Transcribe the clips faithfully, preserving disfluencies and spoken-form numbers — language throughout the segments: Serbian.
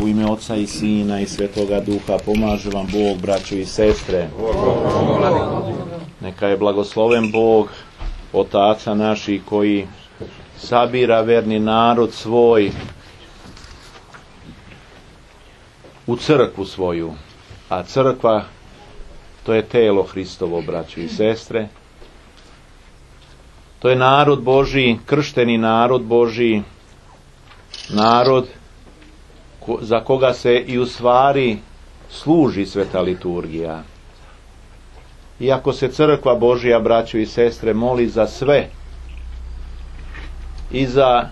U ime Oca i Sina i Svetoga Duha pomaže vam Bog, braćo i sestre. Neka je blagosloven Bog, Otaca naših, koji sabira verni narod svoj u crkvu svoju. A crkva, to je telo Hristovo, braćo i sestre. To je narod Božji, kršteni narod Božji, narod za koga se i u stvari služi sveta liturgija. Iako se crkva Božja, braćo i sestre, moli za sve, i za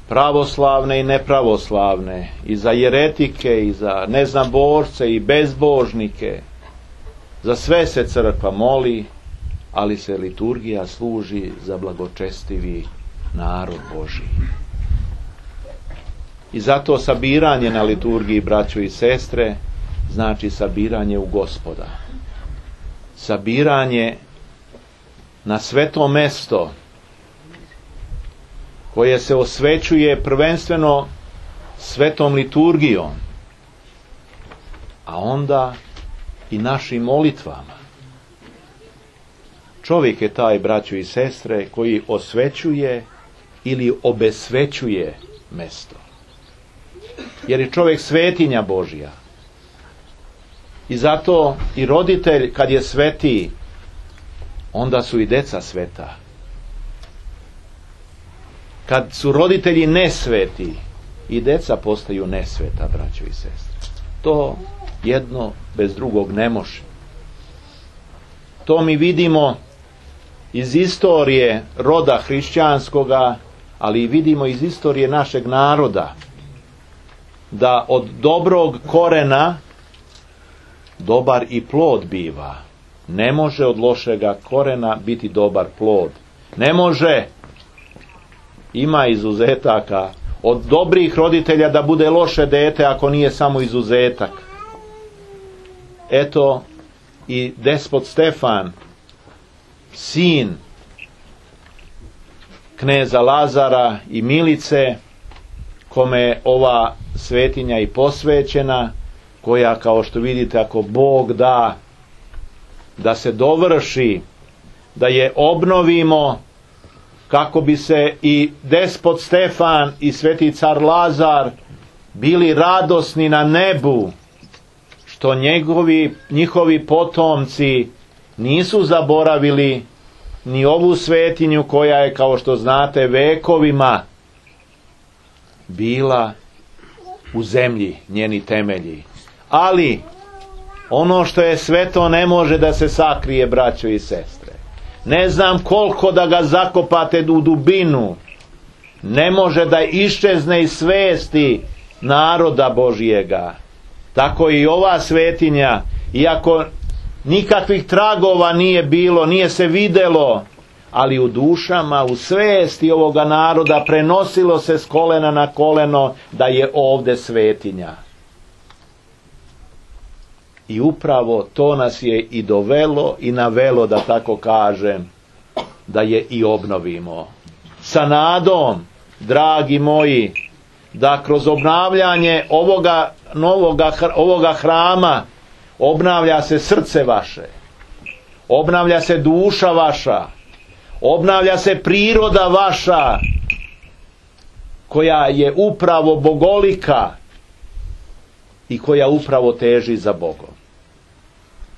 pravoslavne i nepravoslavne, i za jeretike, i za neznaborce i bezbožnike, za sve se crkva moli, ali se liturgija služi za blagočestivi narod Božji. I zato sabiranje na liturgiji, braćo i sestre, znači sabiranje u Gospoda. Sabiranje na sveto mesto koje se osvećuje prvenstveno svetom liturgijom, a onda i našim molitvama. Čovjek je taj, braćo i sestre, koji osvećuje ili obesvećuje mesto. Jer je čovjek svetinja Božja. I zato i roditelj, kad je sveti, onda su i deca sveta. Kad su roditelji nesveti, i deca postaju nesveta, braćo i sestre. To jedno bez drugog ne može. To mi vidimo iz istorije roda hrišćanskoga, ali i vidimo iz istorije našeg naroda, da od dobrog korena dobar i plod biva. Ne može od lošega korena biti dobar plod. Ne može, ima izuzetaka, od dobrih roditelja da bude loše dete ako nije samo izuzetak. Eto i despot Stefan, sin kneza Lazara i Milice, kome je ova svetinja i posvećena, koja, kao što vidite, ako Bog da, da se dovrši, da je obnovimo, kako bi se i despot Stefan i sveti car Lazar bili radosni na nebu, što njegovi, njihovi potomci nisu zaboravili ni ovu svetinju koja je, kao što znate, vekovima bila u zemlji, njeni temelji. Ali ono što je sveto ne može da se sakrije, braćo i sestre. Ne znam koliko da ga zakopate u dubinu, ne može da iščezne iz svesti naroda Božijega. Tako i ova svetinja, iako nikakvih tragova nije bilo, nije se videlo, ali u dušama, u svesti ovoga naroda prenosilo se s kolena na koleno da je ovde svetinja. I upravo to nas je i dovelo i navelo, da tako kažem, da je i obnovimo. Sa nadom, dragi moji, da kroz obnavljanje ovoga novoga, ovoga hrama obnavlja se srce vaše, obnavlja se duša vaša, obnavlja se priroda vaša, koja je upravo bogolika i koja upravo teži za Bogom.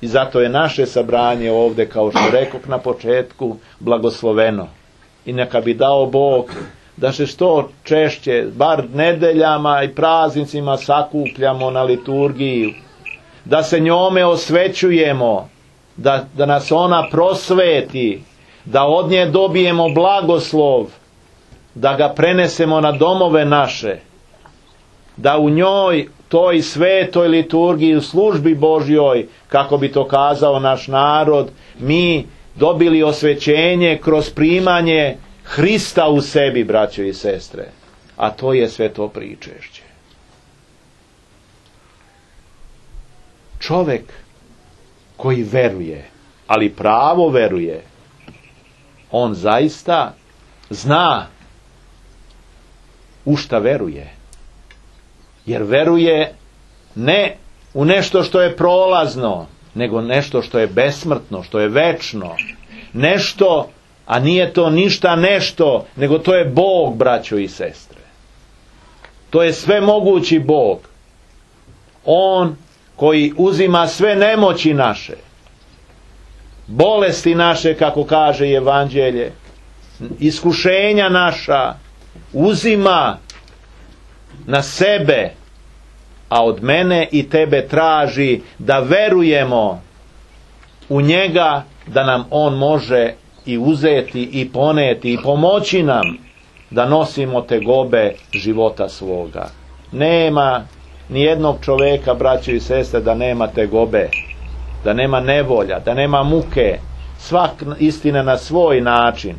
I zato je naše sabranje ovde, kao što rekoh na početku, blagosloveno. I neka bi dao Bog da se što češće, bar nedeljama i praznicima, sakupljamo na liturgiju, da se njome osvećujemo, da, da nas ona prosveti, da od nje dobijemo blagoslov, da ga prenesemo na domove naše, da u njoj, toj svetoj liturgiji, u službi Božjoj, kako bi to kazao naš narod, mi dobili osvećenje kroz primanje Hrista u sebi, braćo i sestre. A to je sveto pričešće. Čovek koji veruje, ali pravo veruje, on zaista zna u šta veruje. Jer veruje ne u nešto što je prolazno, nego nešto što je besmrtno, što je večno. Nešto, a nije to ništa nešto, nego to je Bog, braćo i sestre. To je svemogući Bog. On koji uzima sve nemoći naše, bolesti naše, kako kaže Evanđelje, iskušenja naša, uzima na sebe, a od mene i tebe traži da verujemo u njega, da nam on može i uzeti i poneti i pomoći nam da nosimo tegobe života svoga. Nema ni jednog čoveka, braćo i sestre, da nema tegobe, da nema nevolja, da nema muke. Svak istina na svoj način.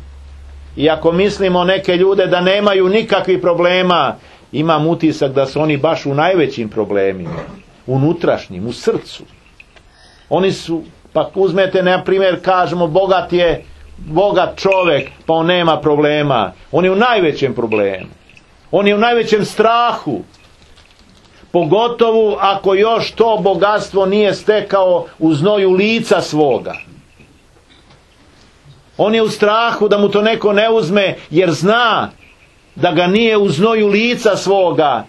I ako mislimo neke ljude da nemaju nikakvih problema, imam utisak da su oni baš u najvećim problemima, unutrašnjim, u srcu. Oni su, pa uzmete na primjer, kažemo, bogat je bogat čovjek, pa on nema problema. On je u najvećem problemu. On je u najvećem strahu. Pogotovo ako još to bogatstvo nije stekao u znoju lica svoga. On je u strahu da mu to neko ne uzme, jer zna da ga nije u znoju lica svoga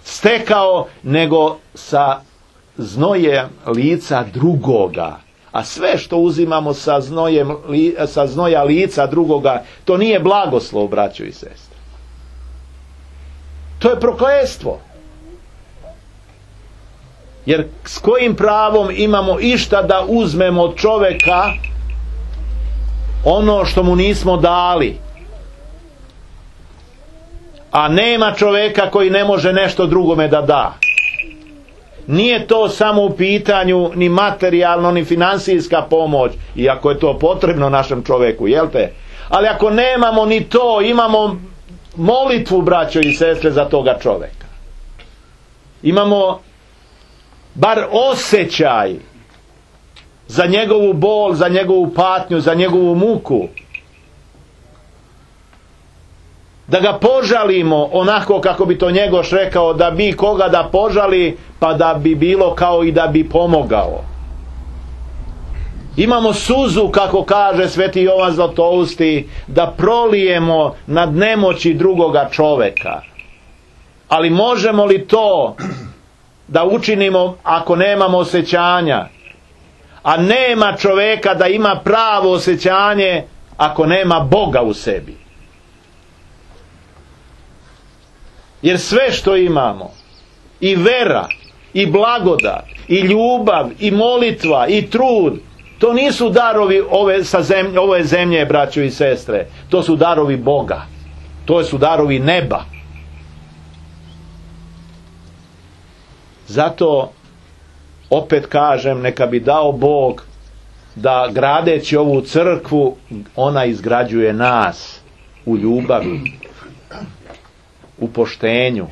stekao, nego sa znojem lica drugoga. A sve što uzimamo sa, znojem, sa znoja lica drugoga, to nije blagoslov, braćo i sestre. To je prokletstvo. Jer s kojim pravom imamo išta da uzmemo od čoveka ono što mu nismo dali? A nema čoveka koji ne može nešto drugome da da. Nije to samo u pitanju ni materijalno, ni financijska pomoć, iako je to potrebno našem čoveku, jel te? Ali ako nemamo ni to, imamo molitvu, braćo i sestre, za toga čoveka. Imamo bar osjećaj za njegovu bol, za njegovu patnju, za njegovu muku. Da ga požalimo onako kako bi to Njegoš rekao, da bi koga da požali, pa da bi bilo kao i da bi pomogao. Imamo suzu, kako kaže sveti Jovan Zlatousti, da prolijemo nad nemoći drugoga čoveka. Ali možemo li to da učinimo ako nemamo osjećanja? A nema čoveka da ima pravo osjećanje ako nema Boga u sebi. Jer sve što imamo, i vera, i blagodat, i ljubav, i molitva, i trud, to nisu darovi ove, sa zemlje, ove zemlje, braćo i sestre. To su darovi Boga. To su darovi neba. Zato, opet kažem, neka bi dao Bog da, gradeći ovu crkvu, ona izgrađuje nas u ljubavi, u poštenju,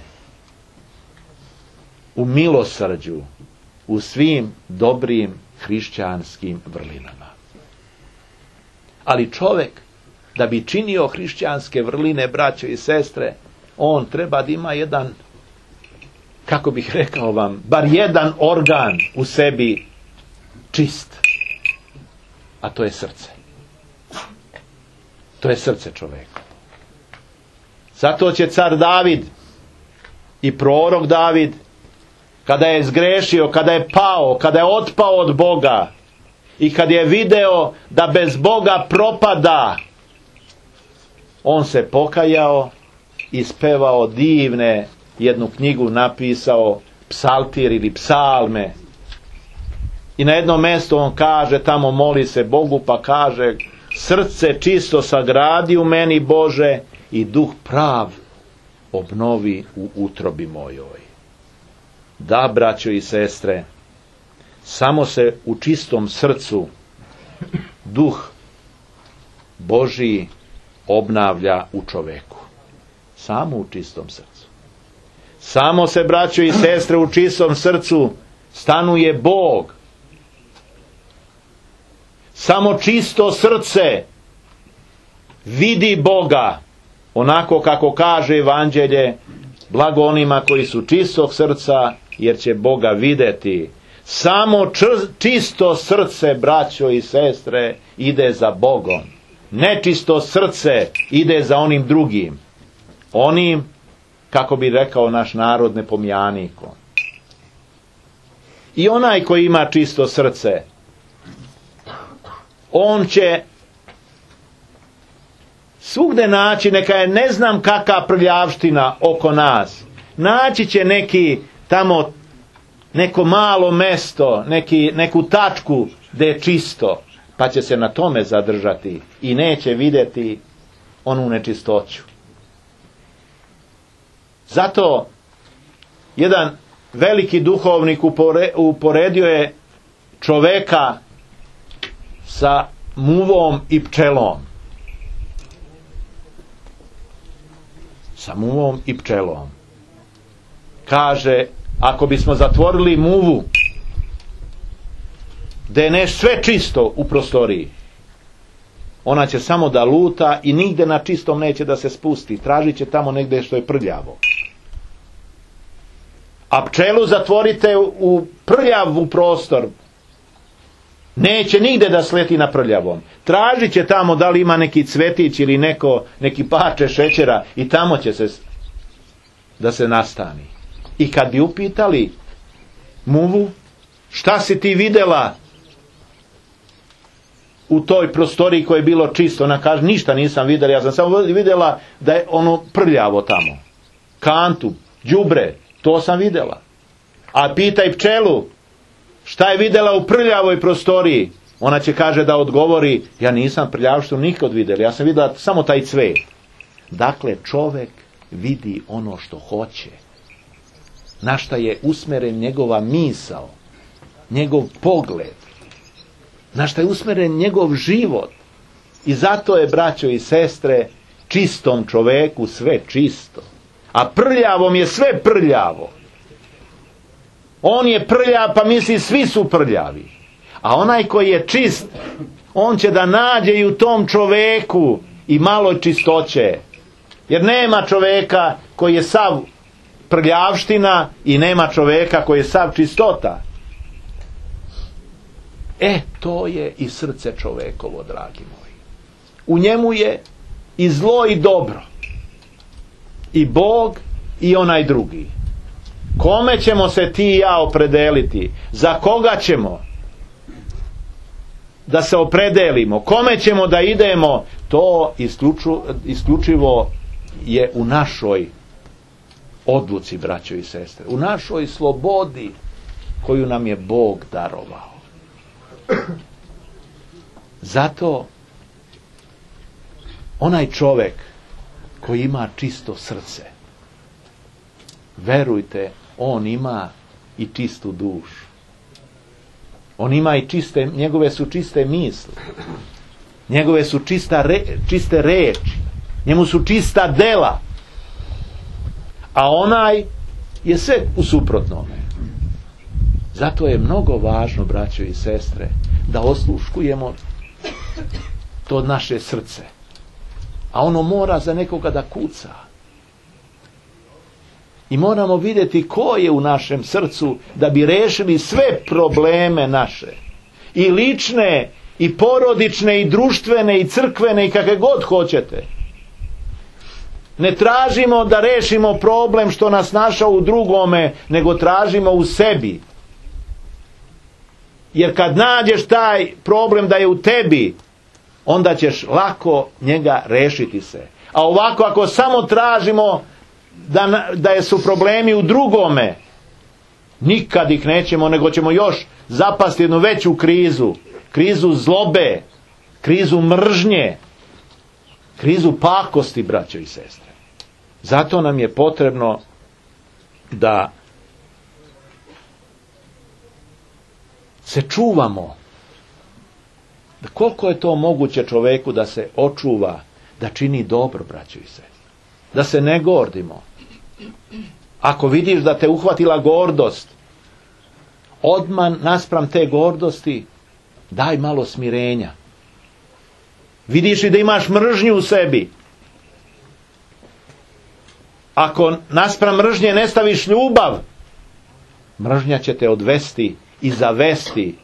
u milosrđu, u svim dobrim hrišćanskim vrlinama. Ali čovjek, da bi činio hrišćanske vrline, braćo i sestre, on treba da ima jedan, kako bih rekao vam, bar jedan organ u sebi čist. A to je srce. To je srce čovjeka. Zato će car David i prorok David, kada je zgrešio, kada je pao, kada je otpao od Boga i kad je video da bez Boga propada, on se pokajao i spevao divne, jednu knjigu napisao, psaltir ili psalme. I na jednom mjestu on kaže, tamo moli se Bogu, pa kaže, srce čisto sagradi u meni, Bože, i duh prav obnovi u utrobi mojoj. Da, braćo i sestre, samo se u čistom srcu duh Božji obnavlja u čoveku. Samo u čistom srcu. Samo se, braćo i sestre, u čistom srcu stanuje Bog. Samo čisto srce vidi Boga, onako kako kaže Evanđelje, Blago onima koji su čistog srca, jer će Boga vidjeti. Samo čisto srce, braćo i sestre, ide za Bogom. Nečisto srce ide za onim drugim. Onim, kako bi rekao naš narod, nepomijanikom. I onaj koji ima čisto srce, on će svugde naći, neka je ne znam kakva prljavština oko nas. Naći će neki tamo, neko malo mesto, neki, neku tačku gdje je čisto, pa će se na tome zadržati i neće vidjeti onu nečistoću. Zato jedan veliki duhovnik uporedio je čoveka sa muvom i pčelom. Sa muvom i pčelom. Kaže, ako bismo zatvorili muvu, da je ne sve čisto u prostoriji, ona će samo da luta i nigde na čistom neće da se spusti. Tražit će tamo negdje što je prljavo. A pčelu zatvorite u prljav prostor, neće nigde da sleti na prljavom. Tražit će tamo da li ima neki cvetić ili neko, neki parče šećera i tamo će se da se nastani. I kad bi upitali muvu, šta si ti vidjela u toj prostoriji koje je bilo čisto, ona kaže, ništa nisam vidjela, ja sam samo vidjela da je ono prljavo tamo. Kantu, đubre, to sam vidjela. A pitaj pčelu, šta je vidjela u prljavoj prostoriji? Ona će kaže da odgovori, ja nisam prljavštinu nikad vidjela, ja sam vidjela samo taj cvet. Dakle, čovjek vidi ono što hoće. Na šta je usmeren njegova misao, njegov pogled, na šta je usmeren njegov život. I zato je, braćo i sestre, čistom čoveku sve čisto. A prljavom je sve prljavo. On je prljav, pa misli svi su prljavi. A onaj koji je čist, on će da nađe i u tom čoveku i malo čistoće. Jer nema čoveka koji je sav prljavština i nema čoveka koji je sav čistota. E, to je i srce čovekovo, dragi moji. U njemu je i zlo i dobro. I Bog i onaj drugi. Kome ćemo se ti i ja opredeliti? Za koga ćemo da se opredelimo? Kome ćemo da idemo? To isključu, isključivo je u našoj odluci, braćo i sestre. U našoj slobodi koju nam je Bog darovao. Zato onaj čovjek koji ima čisto srce, verujte, on ima i čistu dušu. On ima i čiste, njegove su čiste misli. Njegove su čista re, čiste reči. Njemu su čista dela. A onaj je sve u suprotnome. Zato je mnogo važno, braćo i sestre, da osluškujemo to naše srce. A ono mora za nekoga da kuca. I moramo vidjeti ko je u našem srcu da bi rešili sve probleme naše. I lične, i porodične, i društvene, i crkvene, i kakve god hoćete. Ne tražimo da rešimo problem što nas našao u drugome, nego tražimo u sebi. Jer kad nađeš taj problem da je u tebi, onda ćeš lako njega rešiti se. A ovako, ako samo tražimo da, da su problemi u drugome, nikad ih nećemo, nego ćemo još zapasti jednu veću krizu. Krizu zlobe, krizu mržnje, krizu pakosti, braćo i sestre. Zato nam je potrebno da se čuvamo. Da koliko je to moguće čoveku da se očuva, da čini dobro, braćo i sestre. Da se ne gordimo. Ako vidiš da te uhvatila gordost, odmah naspram te gordosti daj malo smirenja. Vidiš li da imaš mržnju u sebi, Ako naspram mržnje ne staviš ljubav, mržnja će te odvesti i zavesti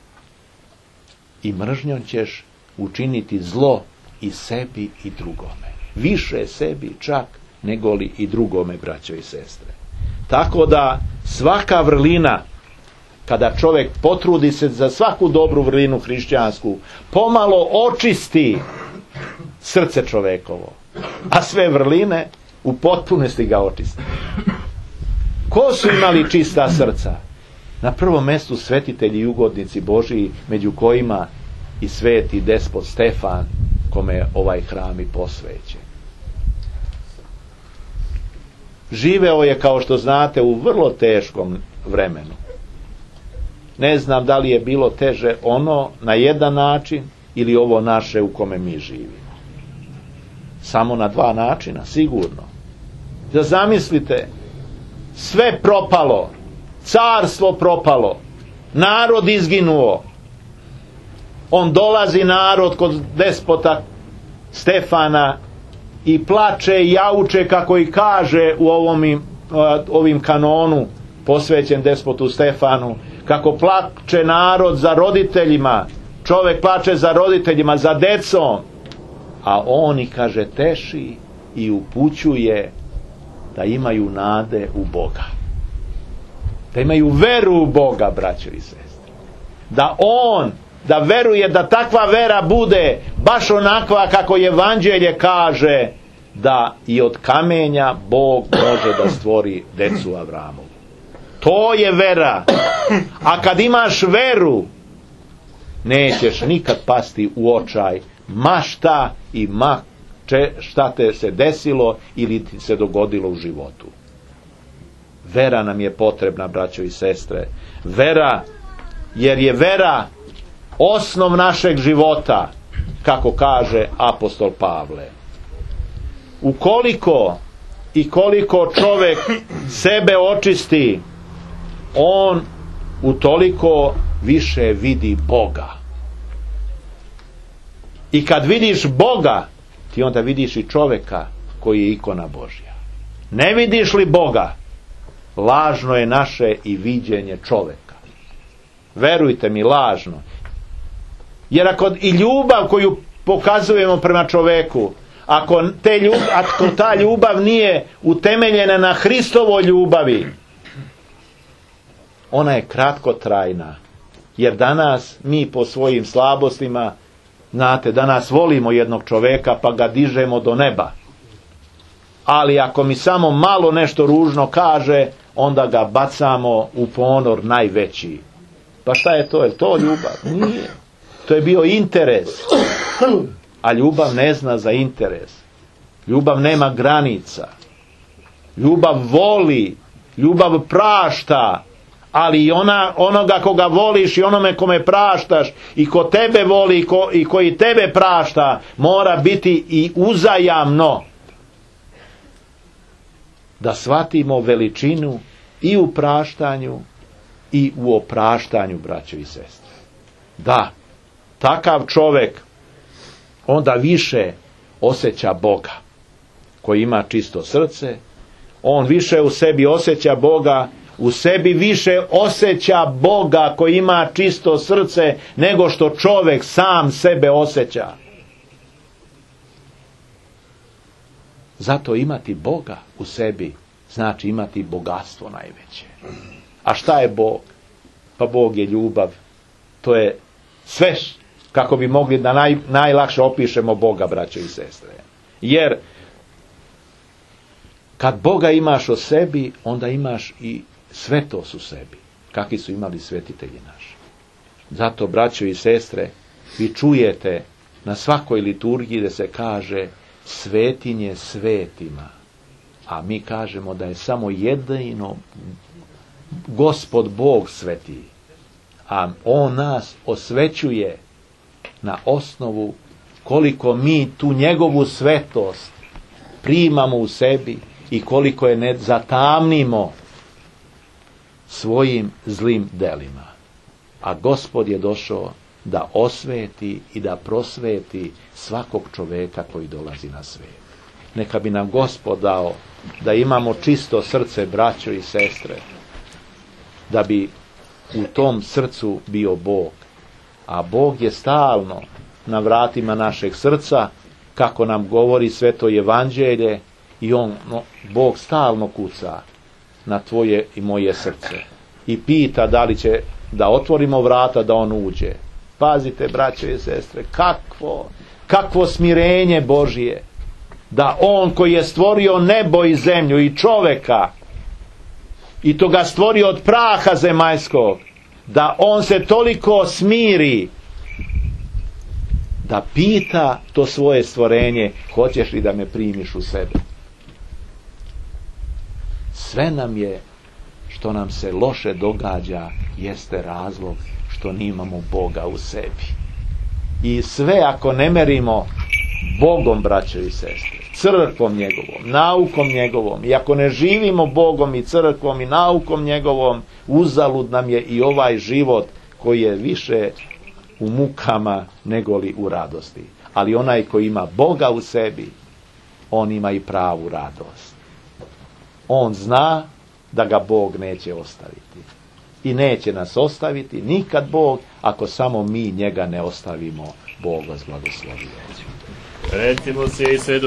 i mržnjom ćeš učiniti zlo i sebi i drugome. Više sebi čak nego li i drugome, braćo i sestre. Tako da svaka vrlina, kada čovjek potrudi se za svaku dobru vrlinu hrišćansku, pomalo očisti srce čovekovo, a sve vrline u potpunosti ga očisti. Ko su imali čista srca? Na prvom mjestu svetitelji i ugodnici Božiji, među kojima i sveti despot Stefan, kome je ovaj hram i posvećen. Živeo je, kao što znate, u vrlo teškom vremenu. Ne znam da li je bilo teže ono na jedan način ili ovo naše u kome mi živimo. Samo na dva načina, sigurno. Da zamislite, sve propalo, carstvo propalo, narod izginuo. On dolazi narod kod despota Stefana i plače i jauče, kako i kaže u ovom, ovim kanonu posvećen despotu Stefanu, kako plače narod za roditeljima, čovjek plače za roditeljima, za decom, a on i kaže teši i upućuje da imaju nade u Boga, da imaju veru u Boga, braćo i sestre, da on, da veruje da takva vera bude baš onakva kako evanđelje kaže, da i od kamenja Bog može da stvori decu Avramovu. To je vera. A kad imaš veru, nećeš nikad pasti u očaj, ma šta i ma če, šta te se desilo ili ti se dogodilo u životu. Vera nam je potrebna, braćo i sestre. Vera, jer je vera osnov našeg života, kako kaže apostol Pavle. Ukoliko i koliko čovjek sebe očisti, on utoliko više vidi Boga. I kad vidiš Boga, ti onda vidiš i čovjeka koji je ikona Božja. Ne vidiš li Boga, lažno je naše i viđenje čovjeka. Verujte mi, lažno. Jer ako i ljubav koju pokazujemo prema čovjeku, ako, te ljub, ako ta ljubav nije utemeljena na Hristovoj ljubavi, ona je kratkotrajna. Jer danas mi po svojim slabostima, znate, danas volimo jednog čovjeka pa ga dižemo do neba. Ali ako mi samo malo nešto ružno kaže, onda ga bacamo u ponor najveći. Pa šta je to? Je to ljubav? Nije. To je bio interes. A ljubav ne zna za interes. Ljubav nema granica. Ljubav voli. Ljubav prašta. Ali i ona, onoga koga voliš i onome kome praštaš i ko tebe voli i, ko, i koji tebe prašta, mora biti i uzajamno. Da shvatimo veličinu i u praštanju i u opraštanju, braćo i sestre. Da, takav čovjek onda više osjeća Boga, koji ima čisto srce, on više u sebi osjeća Boga, u sebi više osjeća Boga koji ima čisto srce nego što čovjek sam sebe osjeća. Zato imati Boga u sebi znači imati bogatstvo najveće. A šta je Bog? Pa Bog je ljubav. To je sve kako bi mogli da naj, najlakše opišemo Boga, braćo i sestre. Jer kad Boga imaš o sebi, onda imaš i svetost u sebi, kakvi su imali svetitelji naši. Zato, braćo i sestre, vi čujete na svakoj liturgiji da se kaže svetinje svetima, a mi kažemo da je samo jedino Gospod Bog sveti, a On nas osvećuje na osnovu koliko mi tu njegovu svetost primamo u sebi i koliko je ne zatamnimo svojim zlim delima. A Gospod je došao da osveti i da prosveti svakog čovjeka koji dolazi na svijet. Neka bi nam Gospod dao da imamo čisto srce, braćo i sestre, da bi u tom srcu bio Bog. A Bog je stalno na vratima našeg srca, kako nam govori Sveto Evanđelje, i on, no, Bog stalno kuca na tvoje i moje srce i pita da li će da otvorimo vrata da on uđe. Pazite, braćo i sestre, kakvo, kakvo smirenje Božije, da on koji je stvorio nebo i zemlju i čoveka, i to ga stvorio od praha zemaljskog, da on se toliko smiri da pita to svoje stvorenje, hoćeš li da me primiš u sebe? Sve nam je, što nam se loše događa, jeste razlog što nimamo Boga u sebi. I sve ako ne merimo Bogom, braćo i sestre, crkvom njegovom, naukom njegovom, i ako ne živimo Bogom i crkvom i naukom njegovom, uzalud nam je i ovaj život koji je više u mukama nego li u radosti. Ali onaj koji ima Boga u sebi, on ima i pravu radost. On zna da ga Bog neće ostaviti. I neće nas ostaviti nikad Bog, ako samo mi njega ne ostavimo. Bog vas blagoslovi. Recimo se i sve